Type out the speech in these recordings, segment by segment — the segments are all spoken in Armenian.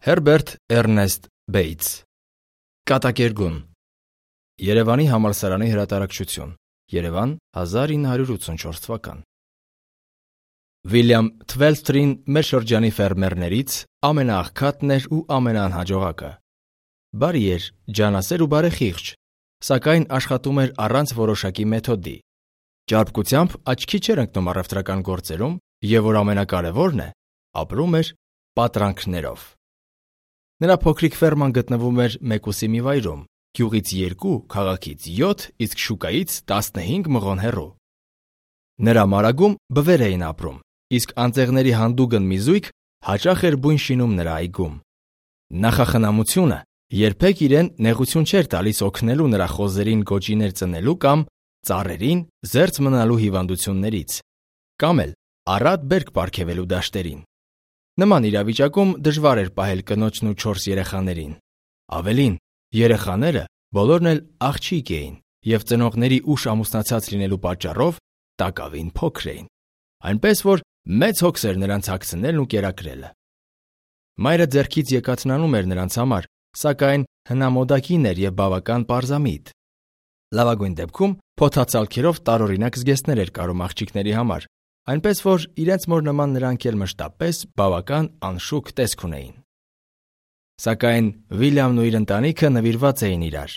Հերբերտ Էրնեստ Բեյթս Կատակերգուն Երևանի համալսարանի հրատարակչություն Երևան 1984 թվական Վիլյամ Թվելսթրին մեր շրջանի ֆերմերներից ամենաաղքատն էր ու ամենաանհաջողակը։ Բարի էր, ջանասեր ու բարեխիղճ, սակայն աշխատում էր առանց որոշակի մեթոդի։ Ճարպկությամբ աչքի չէր ընկնում առևտրական գործերում և որ ամենակարևորն է, ապրում էր պատրանքներով։ Նրա փոքրիկ ֆերման գտնվում էր Մեկուսի մի վայրում, գյուղից 2, քաղաքից 7, իսկ շուկայից 15 մղոն հեռու։ Նրա մարագում բվեր էին ապրում, իսկ անձեղների հանդուգն մի զույգ հաճախ էր բույն շինում նրա այգում։ Նախախնամությունը երբեք իրեն նեղություն չէր տալիս օգնելու նրա խոզերին գոճիներ ծնելու կամ ծառերին զերծ մնալու հիվանդություններից, կամ էլ առատ բերք պարգևելու դաշտերին։ Նման իրավիճակում դժվար էր պահել կնոջն ու 4 երեխաներին։ Ավելին, երեխաները բոլորն էլ աղջիկ էին և ծնողների ուշ ամուսնացած լինելու պատճառով տակավին փոքր էին, այնպես որ մեծ հոգս էր նրանց հագցնելն ու կերակրելը։ Մայրը ձեռքից եկածնանում էր նրանց համար, սակայն հնամոդակին էր և բավական պարզամիտ։ Լավագույն դեպքում փոթացալքերով տարօրինակ զգեստներ էր կարում աղջիկների համար, այնպես որ իրենց մոր նման նրանք էլ մշտապես բավական անշուք տեսք ունեին։ Սակայն Վիլյամն ու իր ընտանիքը նվիրված էին իրար։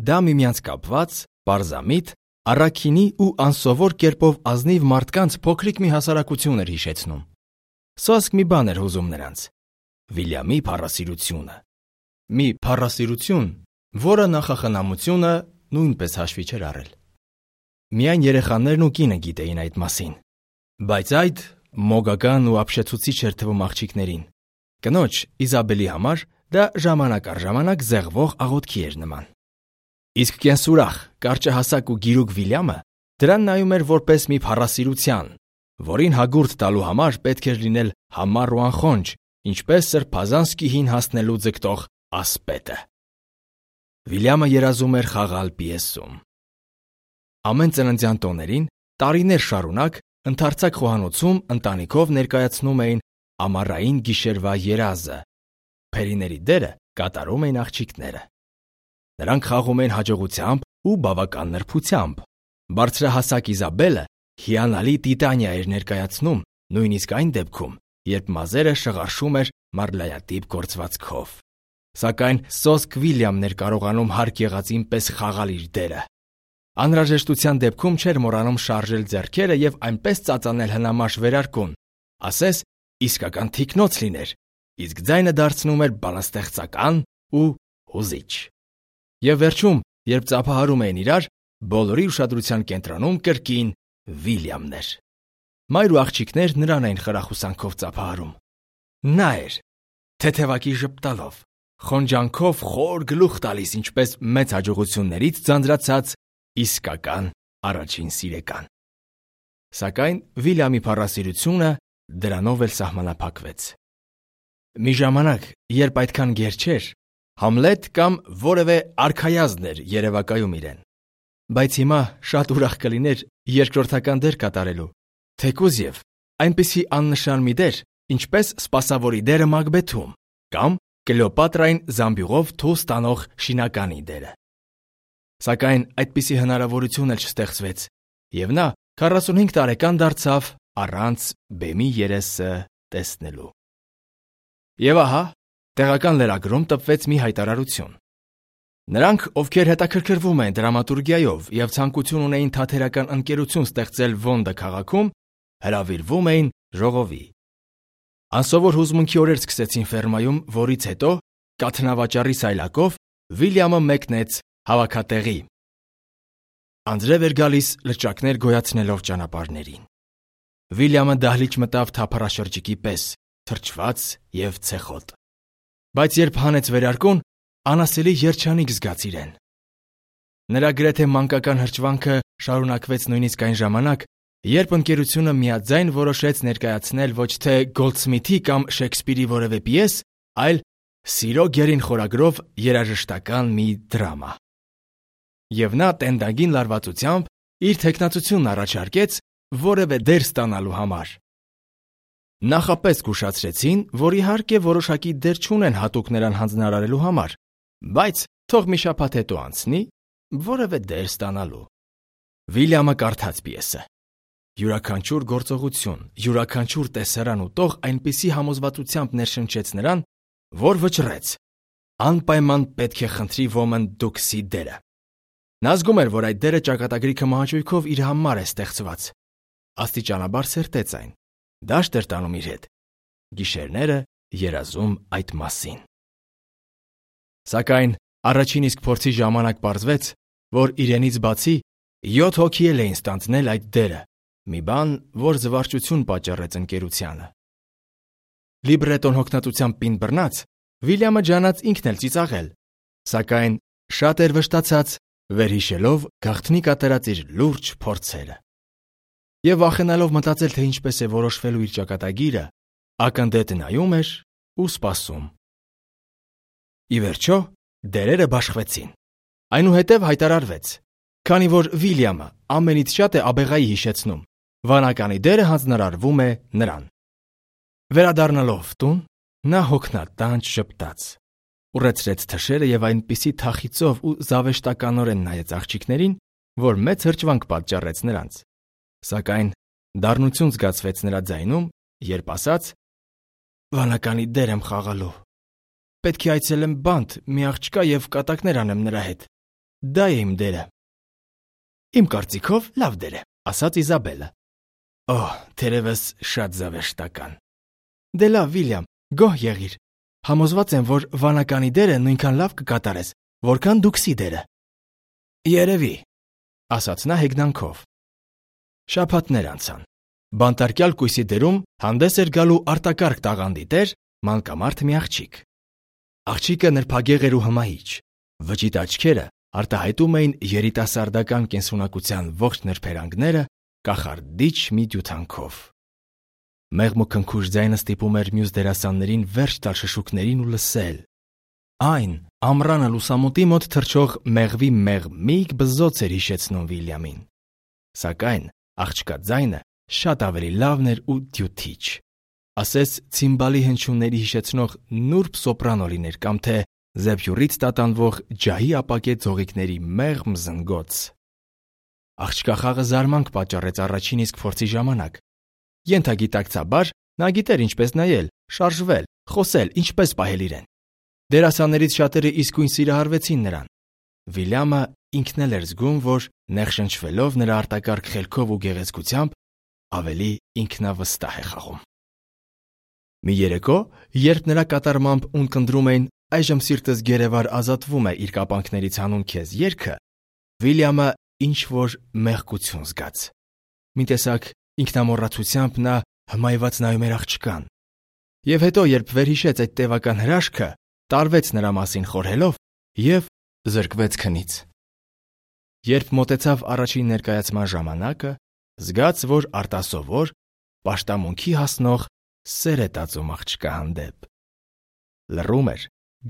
Դա միմյանց կապված, պարզամիտ, առաքինի ու անսովոր կերպով ազնիվ մարդկանց փոքրիկ մի հասարակություն էր հիշեցնում։ Սոսկ մի բան էր հուզում նրանց՝ Վիլյամի փառասիրությունը։ Մի փառասիրություն, որը նախախնամությունը նույնպես հաշվի չէր առել։ Միայն երեխաներն ու կինը գիտեին այդ մասին։ Բայց այդ մոգական ու ապշեցուցիչ էր թվում աղջիկներին։ Կնոջ Իզաբելի համար դա ժամանակ առ ժամանակ զեղվող աղոթքի էր նման։ Իսկ կենսուրախ, կարճահասակ ու գիրուկ Վիլյամը դրան նայում էր որպես մի փառասիրության, որին հագուրդ տալու համար պետք էր լինել համառ ու անխոնջ, ինչպես սրբազան սկիհին հասնելու ձգտող ասպետը։ Վիլյամը երազում էր խաղալ պիեսում։ Ամեն ծննդյան տոներին, տարիներ շարունակ, ընդարձակ խոհանոցում ընտանիքով ներկայացնում էին ամառային գիշերվա երազը։ Փերիների դերը կատարում էին աղջիկները։ Նրանք խաղում էին հաջողությամբ ու բավական նրբությամբ։ Բարձրահասակ Իզաբելը հիանալի տիտանիա էր ներկայացնում, նույնիսկ այն դեպքում, երբ մազերը շղարշում էր մարլայատիպ գործվածքով։ Սակայն սոսկ Վիլյամն էր կարողանում հարկ եղածին պես խաղալ իր դերը։ Անհրաժեշտության դեպքում չէր մոռանում շարժել ձեռքերը և այնպես ծածանել հնամաշ վերարկուն, ասես իսկական թիկնոց լիներ, իսկ ձայնը դարձնում էր բանաստեղծական ու հուզիչ։ Եվ վերջում, երբ ծափահարում էին իրար, բոլորի ուշադրության կենտրոնում կրկին Վիլյամն էր։ Մայր ու աղջիկներ նրան էին խրախուսանքով ծափահարում։ Նա էր, թեթևակի ժպտալով, խոնջանքով խոր գլուխ տալիս, ինչպես մեծ հաջողություններից ձանձրացած իսկական առաջին սիրեկան։ Սակայն Վիլյամի փառասիրությունը դրանով էլ սահմանափակվեց։ Մի ժամանակ, երբ այդքան գեր չէր, Համլետ կամ որևէ արքայազն էր երևակայում իրեն։ Բայց հիմա շատ ուրախ կլիներ երկրորդական դեր կատարելու, թեկուզ և այնպիսի աննշան մի դեր, ինչպես սպասավորի դերը Մակբեթում, կամ Կլեոպատրային զամբյուղով թուղթ ստանող շինականի դերը։ Սակայն այդպիսի հնարավորություն էլ չստեղծվեց, և նա 45 տարեկան դարձավ առանց բեմի երեսը տեսնելու։ Եվ ահա, տեղական լրագրում տպվեց մի հայտարարություն։ Նրանք, ովքեր հետաքրքրվում են դրամատուրգիայով և ցանկություն ունեին թատերական ընկերություն ստեղծել Ոնդը քաղաքում, հրավիրվում էին ժողովի։ Անսովոր հուզմունքի օրեր սկսեցին ֆերմայում, որից հետո կաթնավաճառի սայլակով Վիլյամը մեկնեց հավաքատեղի։ Անձրև էր գալիս լճակներ գոյացնելով ճանապարհներին։ Վիլյամը դահլիճ մտավ թափառաշրջիկի պես, թրջված և ցեխոտ։ Բայց երբ հանեց վերարկուն, անասելի երջանիկ զգաց իրեն։ Նրա գրեթե մանկական հրճվանքը շարունակվեց նույնիսկ այն ժամանակ, երբ ընկերությունը միաձայն որոշեց ներկայացնել ոչ թե Գոլդսմիթի կամ Շեքսպիրի որևէ պիես, այլ Սիրո գերին խորագրով երաժշտական մի դրամա։ Եվ նա տենդագին լարվածությամբ իր թեկնածությունն առաջարկեց որևէ դեր ստանալու համար։ Նախապես զգուշացրեցին, որ իհարկե որոշակի դեր չունեն հատուկ նրան հանձնարարելու համար, բայց թող մի շաբաթ հետո անցնի, որևէ դեր ստանալու։ Վիլյամը կարդաց պիեսը։ Յուրաքանչյուր գործողություն, յուրաքանչյուր տեսարան ու տող այնպիսի համոզվածությամբ ներշնչեց նրան, որ վճռեց. անպայման պետք է խնդրի ոմն Դուքսի դերը։ Նա զգում էր, որ այդ դերը ճակատագրի քմահաճույքով իր համար է ստեղծված։ Աստիճանաբար սերտեց այն։ Դաշտ էր տանում իր հետ։ Գիշերները երազում այդ մասին։ Սակայն առաջին իսկ փորձի ժամանակ պարզվեց, որ իրենից բացի 7 հոգի էլ էին ստանձնել այդ դերը, մի բան, որ զվարճություն պատճառեց ընկերությանը։ Լիբրետոն հոգնածությամբ պինդ բռնած, Վիլյամը ջանաց ինքն էլ ծիծաղել, սակայն շատ էր վշտացած, վերհիշելով գաղտնի կատարած իր լուրջ փորձերը։ Եվ վախենալով մտածել, թե ինչպես է որոշվելու իր ճակատագիրը, ակնթեթ նայում էր ու սպասում։ Ի վերջո, դերերը բաշխվեցին։ Այնուհետև հայտարարվեց, քանի որ Վիլյամը ամենից շատ է աբեղայի հիշեցնում, վանականի դերը հանձնարարվում է նրան։ Վերադառնալով տուն, նա հոգնատանջ ժպտաց, ուռեցրեց թշերը եւ այնպիսի թախիծով ու զավեշտականորեն նայեց աղջիկներին, որ մեծ հրճվանք պատճառեց նրանց։ Սակայն դառնություն զգացվեց նրա ձայնում, երբ ասաց. «Վանականի դեր եմ խաղալու։ Պետք է այցելեմ բանտ, մի աղջկա եւ կատակներ անեմ նրա հետ։ Դա է իմ դերը»։ «Իմ կարծիքով լավ դեր է», ասաց Իզաբելը։ «Օհ, թերևս շատ զավեշտական»։ «Դե լավ, Վիլյամ, գոհ եղիր։ Համոզված եմ, որ վանականի դերը նույնքան լավ կկատարես, որքան Դուքսի դերը»։ «Երևի», ասաց նա հեգնանքով։ Շաբաթներ անցան։ Բանտարկյալ կույսի դերում հանդես էր գալու արտակարգ տաղանդի տեր, մանկամարդ մի աղջիկ։ Աղջիկը նրբագեղ էր ու հմահիճ։ Վճիտ աչքերը արտահայտում էին երիտասարդական կենսունակության ողջ նրբերանգները կախարդիչ մի դյութանքով։ Մեղմուքնքուշ ձայնը ստիպում էր մյուս դերասաններին վերջ տալ շշուկներին ու լսել։ Այն ամռանը լուսամուտի մոտ թռչող մեղվի մեղմիկ բզոց էր հիշեցնում Վիլյամին։ Սակայն աղջկա ձայնը շատ ավելի լավն էր ու դյութիչ։ Ասես ցիմբալի հնչյունների հիշեցնող նուրբ սոպրանո լիներ կամ թե զեբյուրից տատանվող ջահի ապակե ձողիկների մեղմ զնգոց։ Աղջկա խաղը զարմանք պատճառեց առաջին իսկ փորձի ժամանակ։ Ենթագիտակցաբար նա գիտեր ինչպես նայել, շարժվել, խոսել, ինչպես պահել իրեն։ Դերասաններից շատերը իսկույն սիրահարվեցին նրան։ Վիլյամը ինքն էլ էր զգում, որ նեղշնչվելով նրա արտակարգ խելքով ու գեղեցկությամբ ավելի ինքնավստահ է խաղում։ Մի երեկո, երբ նրա կատարմամբ ունկնդրում էին «Այժմ սիրտս գերեվար ազատվում է իր կապանքներից հանուն քեզ» երգը, Վիլյամը ինչ-որ մեղքություն զգաց։ Մի տեսակ ինքնամոռացությամբ նա հմայված նայում էր աղջկան։ Եվ հետո, երբ վերհիշեց այդ տևական հրաշքը, տարվեց նրա մասին խորհելով և զրկվեց քնից։ Երբ մոտեցավ առաջին ներկայացման ժամանակը, զգաց, որ արտասովոր, պաշտամունքի հասնող սեր է տածում աղջկա հանդեպ։ Լռում էր,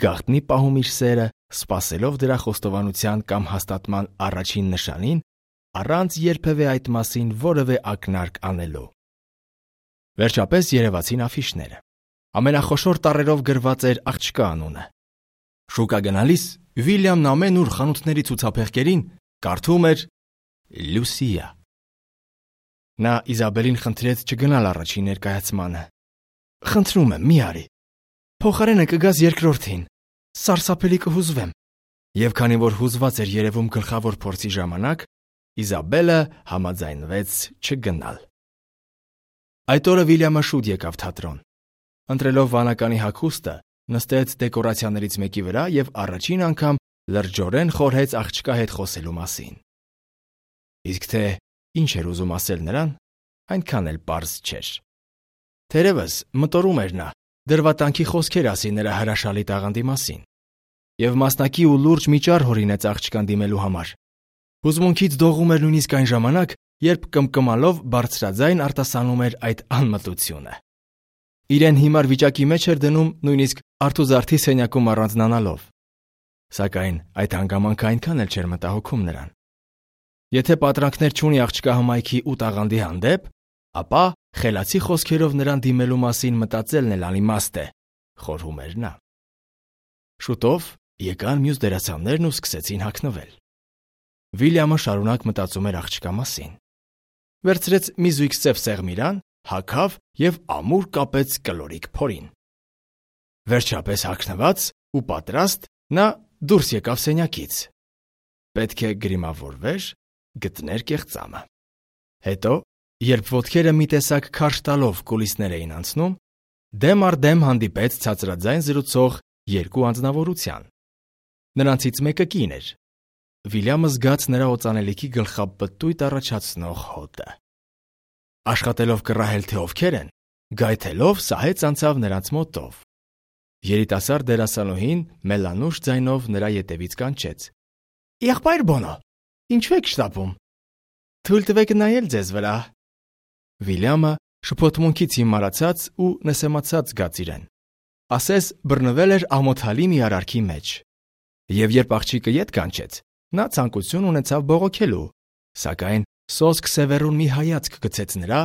գաղտնի պահում իր սերը, սպասելով դրա խոստովանության կամ հաստատման առաջին նշանին, առանց երբևէ այդ մասին որևէ ակնարկ անելու։ Վերջապես երևացին աֆիշները։ Ամենախոշոր տառերով գրված էր աղջկա անունը։ Շուկա գնալիս Վիլյամն ամենուր խանութների ցուցափեղկերին կարդում էր Լուսիա։ Նա Իզաբելին խնդրեց չգնալ առաջին ներկայացմանը։ «Խնդրում եմ, մի արի։ Փոխարենը կգաս երկրորդին։ Սարսափելի կհուզվեմ»։ Եվ քանի որ հուզված էր երևում գլխավոր փորձի ժամանակ, Իզաբելը համաձայնվեց չգնալ։ Այդ օրը Վիլյամը շուտ եկավ թատրոն։ Ընտրելով վանականի հագուստը, նստեց դեկորացիաներից մեկի վրա և առաջին անգամ լրջորեն խորհեց աղջկա հետ խոսելու մասին։ Իսկ թե ինչ էր ուզում ասել նրան, այնքան էլ պարզ չէր։ Թերևս մտորում էր նա դրվատանքի խոսքեր ասի նրա հրաշալի տաղանդի մասին և մասնակի ու լուրջ միջառ հորինեց աղջկան դիմելու համար։ Հուզմունքից դողում էր նույնիսկ այն ժամանակ, երբ կմկմալով բարձրաձայն արտասանում էր այդ անմտությունը։ Իրեն հիմար վիճակի մեջ էր դնում նույնիսկ արթուզարդի սենյակում առանձնանալով։ Սակայն այդ հանգամանքը այնքան էլ չէր մտահոգում նրան։ Եթե պատրանքներ չունի աղջկա հմայքի ու տաղանդի հանդեպ, ապա խելացի խոսքերով նրան դիմելու մասին մտածելն էլ անիմաստ է, խորհում էր նա։ Շուտով եկան մյուս դերասաններն ու սկսեցին հագնվել։ Վիլյամը շարունակ մտածում էր աղջկա մասին։ Վերցրեց մի զույգ սև սեղմիրան, հագավ և ամուր կապեց կլորիկ փորին։ Վերջապես հագնված ու պատրաստ նա դուրս եկավ սենյակից։ Պետք է գրիմավորվեր, գտներ կեղծամը։ Հետո, երբ ոտքերը մի տեսակ քարշ տալով կուլիսներ էին անցնում, դեմ առ դեմ հանդիպեց ցածրաձայն զրուցող երկու անձնավորության։ Նրանցից մեկը կին էր։ Վիլյամը զգաց նրա օծանելիքի գլխապտույտ առաջացնող հոտը։ Աշխատելով կռահել, թե ովքեր են, գայթելով սահեց անցավ նրանց մոտով։ Երիտասարդ դերասանուհին մելանուշ ձայնով նրա ետևից կանչեց. «Եղբայր Բոնո, ինչու եք շտապում։ Թույլ տվեք նայել ձեզ վրա»։ Վիլյամը շփոթմունքից հիմարացած ու նսեմացած զգաց իրեն։ Ասես բռնվել էր ամոթալի մի արարքի մեջ։ Եվ երբ աղջիկը ետ կանչեց, նա ցանկություն ունեցավ բողոքելու, սակայն սոսկ սևեռուն մի հայացք գցեց նրա,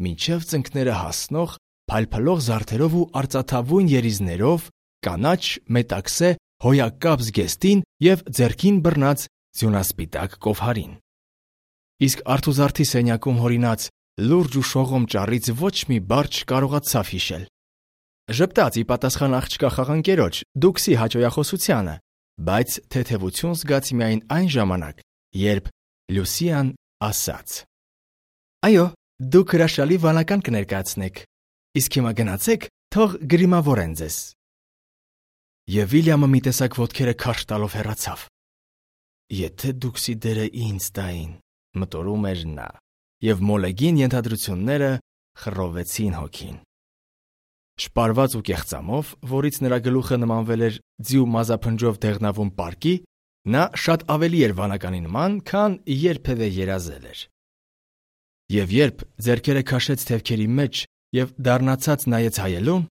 մինչև ծնկները հասնող, փայլփլող զարդերով ու արծաթավուն երիզներով, կանաչ մետաքսե հոյակապ զգեստին և ձեռքին բռնած ձյունասպիտակ կովհարին։ Իսկ արթուզարդի սենյակում հորինած լուրջ ու շողոմ ճառից ոչ մի բառ չկարողացավ հիշել։ Ժպտաց ի պատասխան աղջկա խաղանկերոջ Դուքսի հաճոյախոսությանը, բայց թեթևություն զգաց միայն այն ժամանակ, երբ Լուսիան ասաց. «Այո, դուք հրաշալի վանական կներկայացնեք, իսկ հիմա գնացեք, թող գրիմավորեն ձեզ»։ Եվ Վիլյամը մի տեսակ ոտքերը քարշ տալով հեռացավ։ Եթե Դուքսի դերը ինձ տային, մտորում էր նա, և մոլեգին ենթադրությունները խռովեցին հոգին։ Շպարված ու կեղծամով, որից նրա գլուխը նմանվել էր ձիու մազափնջով դեղնավուն պարկի, նա շատ ավելի էր վանականի նման, քան երբևէ երազել էր։ Եվ երբ ձեռքերը քաշեց թևքերի մեջ և դառնացած նայեց հայելուն,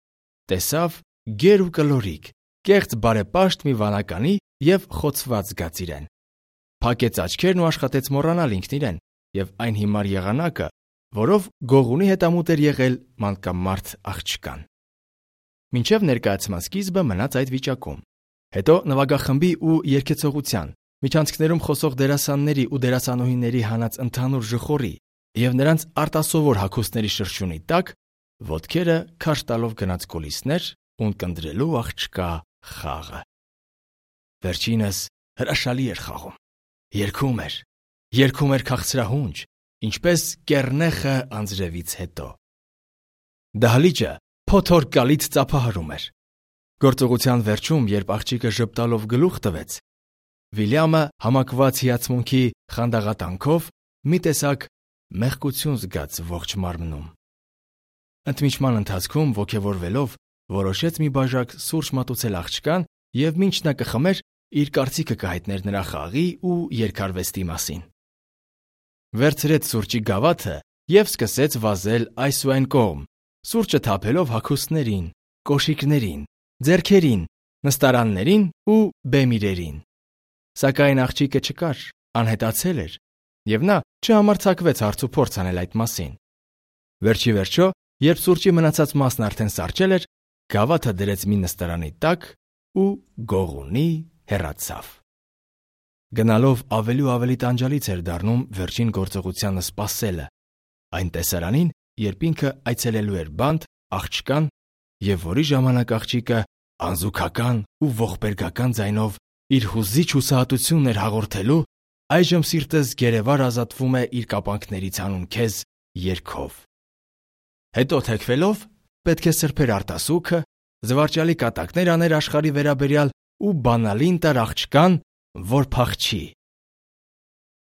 տեսավ գեր ու կլորիկ, կեղծ բարեպաշտ մի վանականի և խոցված զգաց իրեն։ Փակեց աչքերն ու աշխատեց մոռանալ ինքն իրեն և այն հիմար եղանակը, որով գողունի հետամուտ էր եղել մանկանմարդ աղջկան։ Մինչև ներկայացման սկիզբը մնաց այդ վիճակում։ Հետո նվագախմբի ու երգեցողության, միջանցքներում խոսող դերասանների ու դերասանուհիների հանած ընդհանուր ժխորի և նրանց արտասովոր հագուստների շրշյունի տակ ոտքերը քարշ տալով գնաց կուլիսներ ունկնդրելու աղջկա խաղը։ Վերջինս հրաշալի էր խաղում։ Երգում էր քաղցրահունչ, ինչպես կեռնեխը անձրևից հետո։ Դահլիճը փոթորկալից ծափահարում էր։ Գործողության վերջում, երբ աղջիկը ժպտալով գլուխ տվեց, Վիլյամը համակված հիացմունքի խանդաղատանքով մի տեսակ մեղկություն զգաց ողջ մարմնում։ Ընդմիջման ընթացքում ոգևորվելով որոշեց մի բաժակ սուրճ մատուցել աղջկան և մինչ նա կխմեր, իր կարծիքը կհայտներ նրա խաղի ու երգարվեստի մասին։ Վերցրեց սուրճի գավաթը և սկսեց վազել այս ու այն կողմ, սուրճը թափելով հագուստներին, կոշիկներին, ձեռքերին, նստարաններին ու բեմիրերին։ Սակայն աղջիկը չկար, անհետացել էր, և նա չհամարձակվեց հարց ու փորձ անել այդ մասին։ Վերջի վերջո, երբ սուրճի մնացած մասն արդեն սառչել էր, գավաթը դրեց մի նստարանի տակ ու գողունի հեռացավ։ Գնալով ավելի ու ավելի տանջալից էր դառնում վերջին գործողությանը սպասելը, այն տեսարանին, երբ ինքը այցելելու էր բանտ, աղջկան, և որի ժամանակ աղջիկը անզուգական ու ողբերգական ձայնով իր հուզիչ հուսահատությունն էր հաղորդելու, այժմ սիրտս գերեվար ազատվում է իր կապանքներից հանուն քեզ երգով։ Հետո թեքվելով պետք է սրբեր արտասուքը, զվարճալի կատակներ աներ աշխարհի վերաբերյալ ու բանալին տար աղջկան, որ փախչի։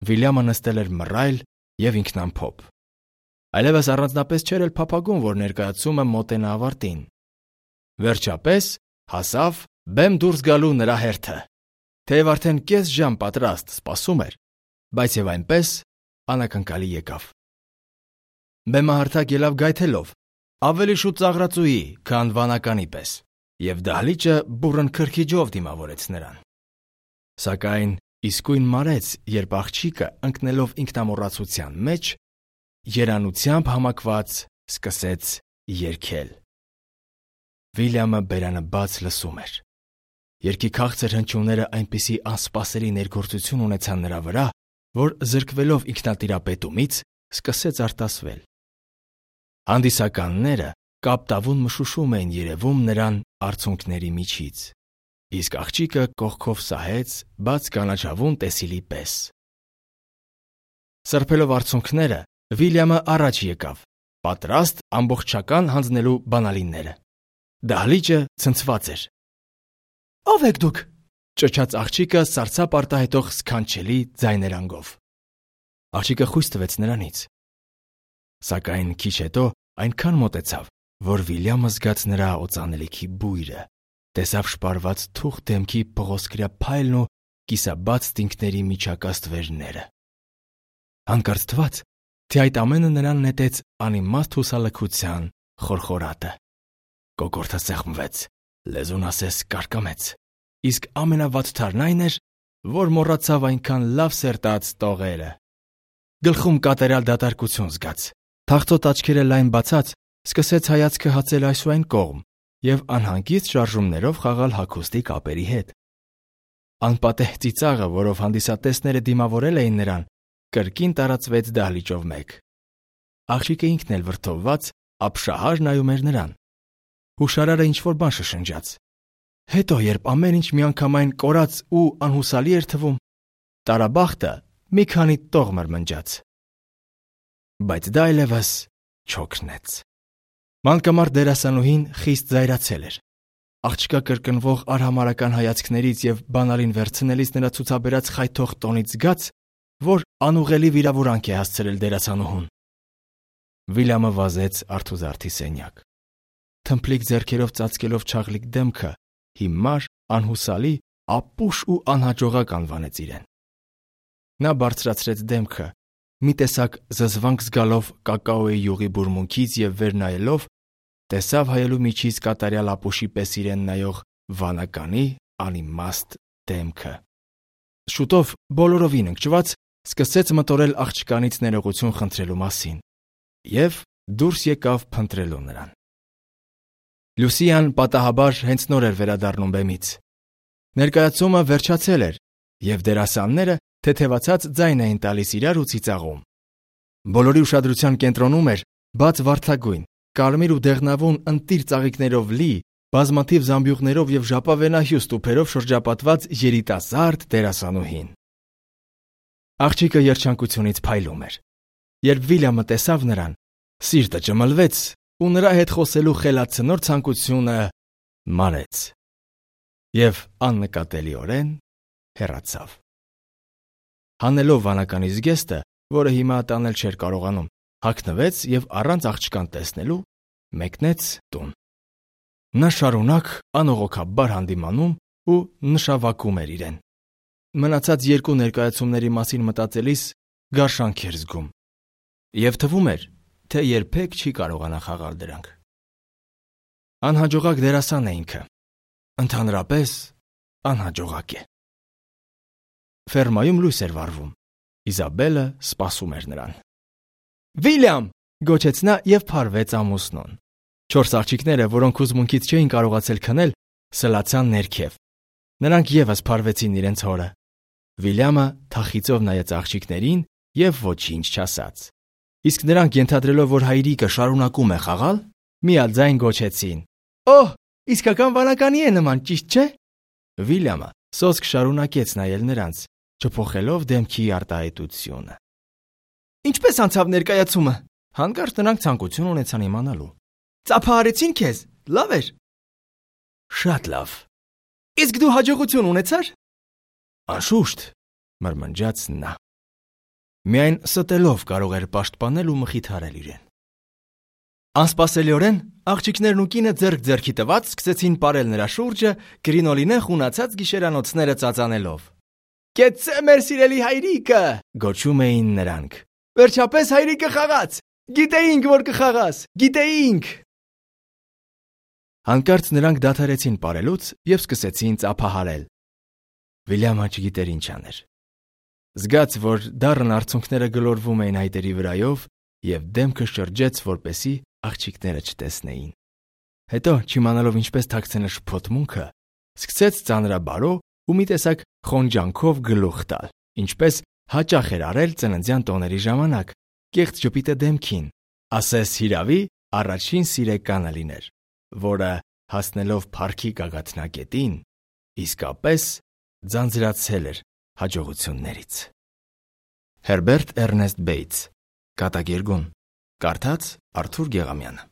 Վիլյամը նստել էր մռայլ և ինքնամփոփ։ Այլևս առանձնապես չէր էլ փափագում, որ ներկայացումը մոտենա ավարտին։ Վերջապես հասավ բեմ դուրս գալու նրա հերթը։ Թեև արդեն կես ժամ պատրաստ սպասում էր, բայց և այնպես անակնկալի եկավ։ Բեմը հարթակ ելավ գայթելով, ավելի շուտ ծաղրածուի, քան վանականի պես, և դահլիճը բուռն քրքիջով դիմավորեց նրան։ Սակայն իսկույն մարեց, երբ աղջիկը ընկնելով ինքնամոռացության մեջ, երանությամբ համակված սկսեց երգել։ Վիլյամը բերանը բաց լսում էր։ Երգի քաղցր հնչյունները այնպիսի անսպասելի ներգործություն ունեցան նրա վրա, որ զրկվելով ինքնատիրապետումից սկսեց արտասվել։ Հանդիսականները կապտավուն մշուշում էին երևում նրան արցունքների միջից, իսկ աղջիկը կողքով սահեց բաց կանաչավուն տեսիլի պես։ Սրբելով արցունքները, Վիլյամը առաջ եկավ, պատրաստ ամբողջական հանձնելու բանալինները։ Դահլիճը ցնցված էր։ «Ո՞վ եք դուք», ճչաց աղջիկը սարսափ արտահայտող սքանչելի ձայներանգով։ Աղջիկը խույս տվեց նրանից։ Սակայն քիչ հետո այնքան մոտեցավ, որ Վիլյամը զգաց նրա օծանելիքի բույրը, տեսավ շպարված թուղթ դեմքի փղոսկրյա փայլն ու կիսաբաց տինկների միջակա ստվերները։ Հանկարծ թվաց, թե այդ ամենը նրան նետեց անիմաստ հուսալքության խորխորատը։ Կոկորդը սեղմվեց, լեզուն ասես կարկամեց, իսկ ամենավատթարն այն էր, որ մոռացավ այնքան լավ սերտած տողերը։ Գլխում կատարյալ դատարկություն զգաց, թախծոտ աչքերը լայն բացած, սկսեց հայացքը հացել այս ու այն կողմ և անհանգիստ շարժումներով խաղալ հագուստի կապերի հետ։ Անպատեհ ծիծաղը, որով հանդիսատեսները դիմավորել էին նրան, կրկին տարածվեց դահլիճով մեկ։ Աղջիկը ինքն էլ վրդովված ապշահար նայում էր նրան։ Հուշարարը ինչ-որ բան շշնջաց։ Հետո, երբ ամեն ինչ միանգամայն կորած ու անհուսալի էր թվում, տարաբախտը մի քանի տող մրմնջաց։ Բայց դա այլևս չօգնեց։ Մանկամարտ դերասանուհին խիստ զայրացել էր։ Աղջկա կրկնվող արհամարհական հայացքներից և բանալին վերցնելիս նրա ցուցաբերած խայթող տոնից զգաց, որ անուղղելի վիրավորանք է հասցրել դերասանուհուն։ Վիլյամը վազեց արթուզարդի սենյակ։ Թմփլիկ ձեռքերով ծածկելով չաղլիկ դեմքը, հիմար, անհուսալի, ապուշ ու անհաջողակ անվանեց իրեն։ Նա բարձրացրեց դեմքը, մի տեսակ զզվանք զգալով կակաոյի յուղի բուրմունքից և վեր նայելով, տեսավ հայելու միջից կատարյալ ապուշի պես իրեն նայող վանականի անիմաստ դեմքը։ Շուտով բոլորովին ընկճված սկսեց մտորել աղջկանից ներողություն խնդրելու մասին և դուրս եկավ փնտրելու նրան։ Լուսիան պատահաբար հենց նոր էր վերադառնում բեմից։ Ներկայացումը վերջացել էր, և դերասանները թեթևացած ձայն էին տալիս իրար ու ծիծաղում։ Բոլորի ուշադրության կենտրոնում էր բաց վարդագույն, կարմիր ու դեղնավուն ընտիր ծաղիկներով լի, բազմաթիվ զամբյուղներով և ժապավենահյուս տուփերով շրջապատված երիտասարդ դերասանուհին։ Աղջիկը երջանկությունից փայլում էր։ Երբ Վիլյամը տեսավ նրան, սիրտը ճմլվեց ու նրա հետ խոսելու խելացնոր ցանկությունը մարեց և աննկատելիորեն հեռացավ։ Հանելով վանականի զգեստը, որը հիմա տանել չէր կարողանում, հագնվեց և առանց աղջկան տեսնելու մեկնեց տուն։ Նա շարունակ անողոքաբար հանդիմանում ու նշավակում էր իրեն։ Մնացած երկու ներկայացումների մասին մտածելիս գարշանք էր զգում և թվում էր, թե երբեք չի կարողանա խաղալ դրանք։ Անհաջողակ դերասան է ինքը, ընդհանրապես անհաջողակ է։ Ֆերմայում լույս էր վառվում։ Իզաբելը սպասում էր նրան։ «Վիլյամ», գոչեց նա և փարվեց ամուսնուն։ 4 աղջիկները, որոնք հուզմունքից չէին կարողացել քնել, սլացան ներքև։ Նրանք ևս փարվեցին իրենց հորը։ Վիլյամը թախիծով նայեց աղջիկներին և ոչինչ չասաց։ Իսկ նրանք, ենթադրելով, որ հայրիկը շարունակում է խաղալ, միաձայն գոչեցին. «Օհ, իսկական վանականի է նման, ճիշտ չէ»։ Վիլյամը սոսկ շարունակեց նայել նրանց, չփոխելով դեմքի արտահայտությունը։ «Ինչպես անցավ ներկայացումը»։ Հանկարծ նրանք ցանկություն ունեցան իմանալու։ «Ծափահարեցին քեզ, լավ էր»։ «Շատ լավ»։ «Իսկ դու հաջողություն ունեցար»։ «Անշուշտ», մրմնջաց նա։ Միայն ստելով կարող էր պաշտպանել ու մխիթարել իրեն։ Անսպասելիորեն աղջիկներն ու կինը ձեռք ձեռքի տված սկսեցին պարել նրա շուրջը, կրինոլինեն խունացած գիշերանոցները ծածանելով։ «Կեցցե մեր սիրելի հայրիկը», գոչում էին նրանք։ «Վերջապես հայրիկը խաղաց։ Գիտեինք, որ կխաղաս, գիտեինք»։ Հանկարծ նրանք դադարեցին պարելուց և սկսեցին ծափահարել։ Վիլյամը չգիտեր ինչ աներ։ Զգաց, որ դառն արցունքները գլորվում էին այտերի վրայով և դեմքը շրջեց, որպեսզի աղջիկները չտեսնեին։ Հետո, չիմանալով ինչպես թաքցնել շփոթմունքը, սկսեց ծանրաբարո ու մի տեսակ խոնջանքով գլուխ տալ, ինչպես հաճախ էր արել ծննդյան տոների ժամանակ, կեղծ ժպիտը դեմքին, ասես հիրավի առաջին սիրեկանը լիներ, որը, հասնելով փառքի գագաթնակետին, իսկապես ձանձրացել էր հաջողություններից։ Հերբերտ Էրնեստ Բեյթս, Կատակերգուն, կարդաց Արթուր Գեղամյանը։